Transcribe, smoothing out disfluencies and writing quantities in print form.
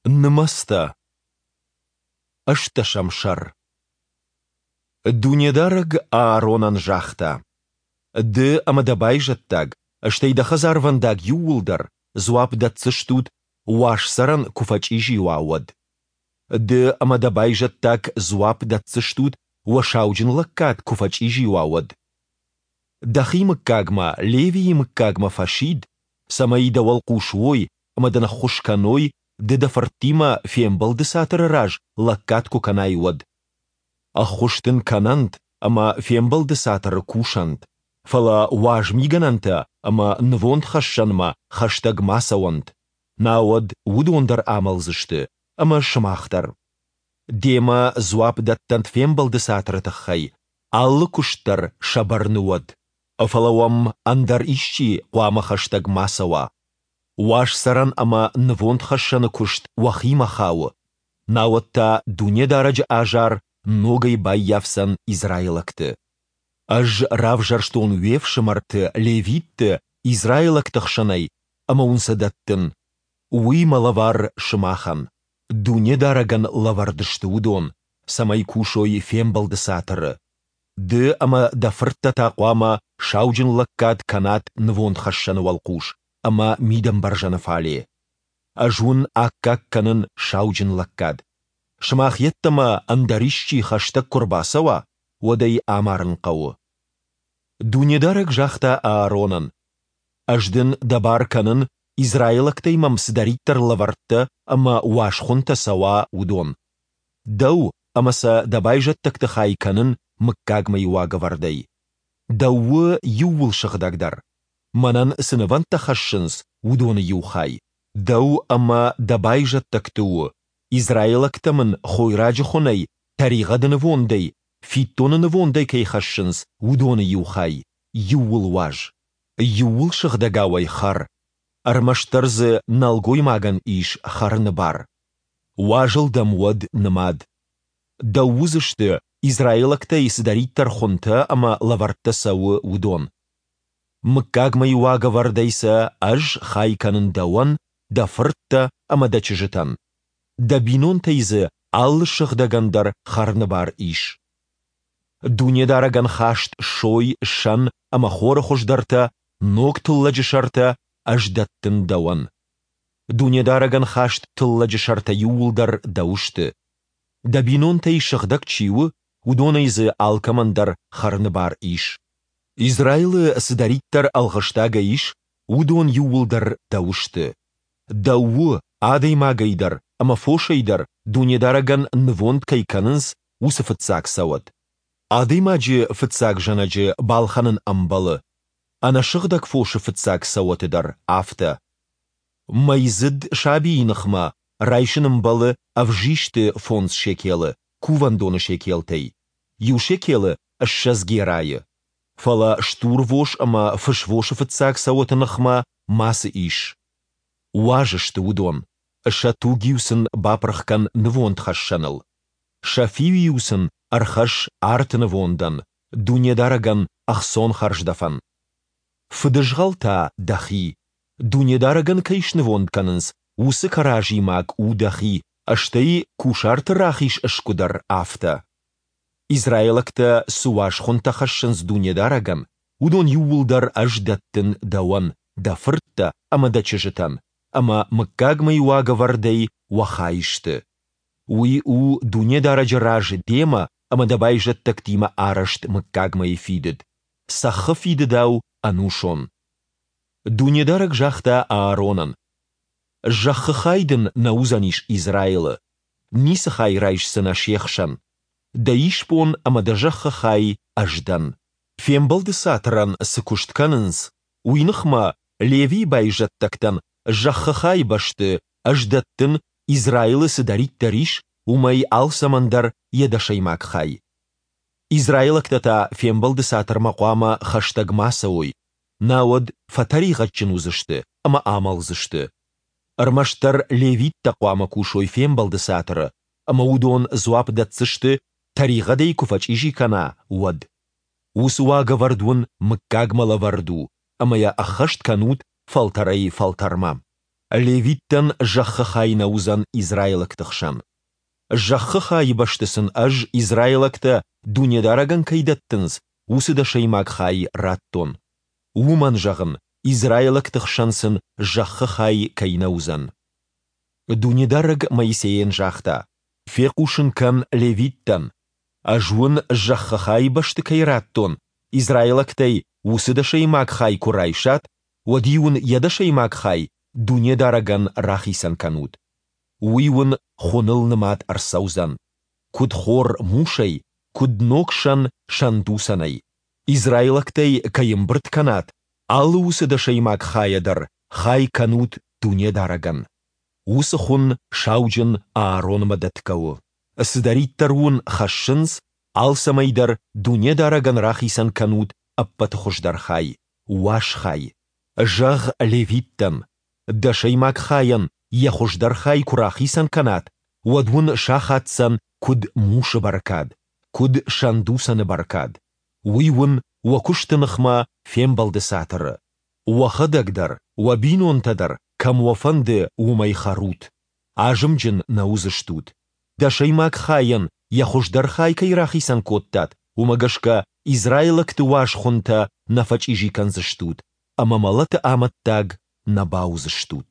Нымӕцтӕ. Ӕстдӕсӕм сӕр. Дунедарӕг Ааронӕн загъта, Ды ӕмӕ дӕ байзӕддаг, стӕй дӕ хӕдзарвӕндаг иууылдӕр, дзуапп дӕтдзыстут, уаз цӕрӕн куы фӕчъизи уа, уӕд. Ды ӕмӕ дӕ байзӕддаг дзуапп дӕтдзыстут, уӕ сауджынлӕггад куы фӕчъизи уа, уӕд. Дӕхи мыггагмӕ, Левийы мыггагмӕ фӕсид, цӕмӕй дӕ уӕлхъус уой ӕмӕ дын ӕххуыс кӕной, ды дӕ фырттимӕ фембӕлды цатыры раз лӕггад куы кӕнай, уӕд. Ӕххуыс дын кӕнӕнт ӕмӕ фембӕлды цатыры кусӕнт, фӕлӕ уаз мигӕнӕнтӕ ӕмӕ нывондхӕссӕнмӕ хӕстӕг ма цӕуӕнт, науӕд уыдон дӕр амӕлдзысты ӕмӕ сымах дӕр. Демӕ дзуапп дӕттӕнт фембӕлды цатыры тыххӕй, алы куыст дӕр сӕ бӕрны уӕд. Фӕлӕ уӕм ӕндӕр исчи хъуамӕ хӕстӕг ма цӕуа. Уаз цӕрӕн ӕмӕ нывондхӕссӕны куыст уӕхимӕ хауы, науӕд та Дунедарӕджы азар ногӕй баййафдзӕн израилӕгты. Ӕз равзӕрстон уе фсымӕрты, левитты, израилӕгты хсӕнӕй ӕмӕ уын сӕ дӕттын. Уый мӕ лӕвар сымахӕн. Дунедарӕгӕн лӕвӕрд сты уыдон, цӕмӕй кусой фембӕлды цатыры. Ды ӕмӕ дӕ фырттӕ та хъуамӕ сауджынлӕггад кӕнат нывондхӕссӕны уӕлхъус ӕмӕ мидӕмбӕрзӕны фале. Ӕз уын аккаг кӕнын сауджынлӕггад. Сымах йеддӕмӕ ӕндӕр исчи хӕстӕг куы рбацӕуа, уӕд ӕй амарын хъӕуы. Дунедарӕг загъта Ааронӕн, Ӕз дын дӕ бар кӕнын, израилӕгтӕй мӕм цыдӕриддӕр лӕвӕрттӕ ӕмӕ уаз хуынтӕ цӕуа, уыдон. Дӕу ӕмӕ сӕ дӕ байзӕддӕгты хай кӕнын мыггагмӕйы уагӕвӕрдӕй. Дӕу у иууылсыгъдӕгдӕр, мӕнӕн цы нывӕндтӕ хӕссынц, уыдоны иу хай. Дӕу ӕмӕ дӕ байзӕддӕгты у, израилӕгтӕ мын хойраджы хуынӕй, тӕригъӕды нывондӕй, фиддоны нывондӕй кӕй хӕссынц, уыдоны иу хай, иууыл уаз. Иууылсыгъдӕгау ӕй хӕр, ӕрмӕстдӕр дзы нӕлгоймагӕн ис хӕрыны бар. Уазыл дӕм уӕд нымад. Дӕу уыдзысты, израилӕгтӕй цыдӕриддӕр хуынтӕ ӕмӕ лӕвӕрттӕ цӕуы, уыдон. Мыггагмӕйы уагӕвӕрдӕй сӕ ӕз хай кӕнын дӕуӕн, дӕ фырттӕ ӕмӕ дӕ чызджытӕн. Дӕ бинонтӕй дзы алы сыгъдӕгӕн дӕр хӕрыны бар ис. Дунедарӕгӕн хаст сой, сӕн ӕмӕ хоры хуыздӕртӕ, ног тыллӕджы сӕртӕ ӕз дӕттын дӕуӕн. Дунедарӕгӕн хаст тыллӕджы сӕртӕ иууылдӕр дӕу сты. Дӕ бинонтӕй сыгъдӕг чи у, уыдонӕй дзы алкӕмӕн дӕр хӕрыны бар ис. Израилы цыдӕриддӕр ӕлгъыстагӕй ис, уыдон иууылдӕр дӕу сты. Дӕу у, адӕймагӕй дӕр ӕмӕ фосӕй дӕр Дунедарӕгӕн нывонд кӕй кӕнынц, уыцы фыццаг цӕуӕт. Адӕймаджы фыццаг зӕнӕджы балхӕнын ӕмбӕлы, ӕнӕсыгъдӕг фосы фыццаг цӕуӕты дӕр афтӕ. Мӕйдзыд сабийы ныхмӕ райсын ӕмбӕлы ӕвзисты фондз шекелы кувӕндоны шекелтӕй, иу шекелы 20 герайы. Фӕлӕ стурвос ӕмӕ фысвосы фыццаг цӕуӕты ныхмӕ мацы ис. Уаз сты уыдон, сӕ туг-иу сын бапырх кӕн нывондхӕссӕныл. Сӕ фиу-иу сын ӕрхӕсс арты нывондӕн, Дунедарӕгӕн ӕхцон хӕрздӕфӕн. Фыдызгъӕл та дӕхи, Дунедарӕгӕн кӕй снывонд кӕнынц, уыцы кӕразимаг у дӕхи, стӕй кусарты рахиз сгуы дӕр афтӕ. Израилӕгтӕ цы уаз хуынтӕ хӕссынц Дунедарӕгӕн, уыдон иууылдӕр ӕз дӕттын дӕуӕн, дӕ фырттӕ ӕмӕ дӕ чызджытӕн, ӕмӕ мыггагмӕйы уагӕвӕрдӕй уӕ хай сты. Уый у Дунедарӕджы раз демӕ ӕмӕ дӕ байзӕддӕгтимӕ арӕзт мыггагмӕйы фидыд, цӕххы фидыдау ӕнусон. Дунедарӕг загъта Ааронӕн, Зӕххы хай дын нӕ уыдзӕнис Израилы, ницы хай райсдзынӕ се хсӕн. Дӕ исбон ӕмӕ дӕ зӕххы хай Ӕз дӕн. Фембӕлды цатырӕн цы куыст кӕнынц, уый ныхмӕ Левийы байзӕддӕгтӕн зӕххы хайы бӕсты Ӕз дӕттын, Израилы цыдӕриддӕр ис, уымӕй алцӕмӕн дӕр йӕ дӕсӕймаг хай. Израилӕгтӕ та фембӕлды цатырмӕ хъуамӕ хӕстӕг ма цӕуой, науӕд фӕтӕригъӕдджын уыдзысты ӕмӕ амӕлдзысты. Ӕрмӕстдӕр левиттӕ хъуамӕ кусой фембӕлды цатыры, ӕмӕ уыдон дзуапп дӕтдзысты, тӕригъӕдӕй куы фӕчъизи кӕна, уӕд. Уыцы уагӕвӕрд уын мыггагмӕ лӕвӕрд у, ӕмӕ йӕ ӕххӕст кӕнут фӕлтӕрӕй-фӕлтӕрмӕ. Левиттӕн зӕххы хай нӕ уыдзӕн израилӕгты хсӕн. Зӕххы хайы бӕсты сын Ӕз, израилӕгтӕ Дунедарӕгӕн кӕй дӕттынц, уыцы дӕсӕймаг хай радтон. Уымӕн зӕгъын, израилӕгты хсӕн сын зӕххы хай кӕй нӕ уыдзӕн. Дунедарӕг Моисейӕн загъта, Фехъусын кӕн левиттӕн, Ӕз уын зӕххы хайы бӕсты кӕй радтон, израилӕгтӕй уыцы дӕсӕймаг хай куы райсат, уӕд-иу ын йӕ дӕсӕймаг хай Дунедарӕгӕн рахицӕн кӕнут. Уый уын хуыныл нымад ӕрцӕудзӕн, куыд хор мусӕй, куыд ног сӕн сӕндуцӕнӕй. Израилӕгтӕй кӕй ӕмбырд кӕнат, алы уыцы дӕсӕймаг хайӕ дӕр хай кӕнут Дунедарӕгӕн. Уыцы хуын сауджын Ааронмӕ дӕтгӕ у. Цыдӕриддӕр уын хӕссынц, алцӕмӕй дӕр Дунедарӕгӕн рахицӕн кӕнут ӕппӕты хуыздӕр хай, уаз хай. Зӕгъ левиттӕн, дӕсӕймаг хайӕн йӕ хуыздӕр хай куы рахицӕн кӕнат, уӕд уын сахаддзӕн куыд мусы бӕркад, куыд сӕндуцӕны бӕркад. Уый уын уӕ куысты ныхмӕ Фембӕлды Цатыры. Уӕхӕдӕг дӕр, уӕ бинонтӕ дӕр, кӕм уӕ фӕнды, уым ӕй хӕрут. Азымджын нӕ уыдзыстут. Дӕсӕймаг хайӕн йӕ хуыздӕр хай кӕй рахицӕн кодтат, уымӕ гӕсгӕ израилӕгты уаз хуынтӕ нӕ фӕчъизи кӕндзыстут ӕмӕ мӕлӕты амӕттаг нӕ бауыдзыстут.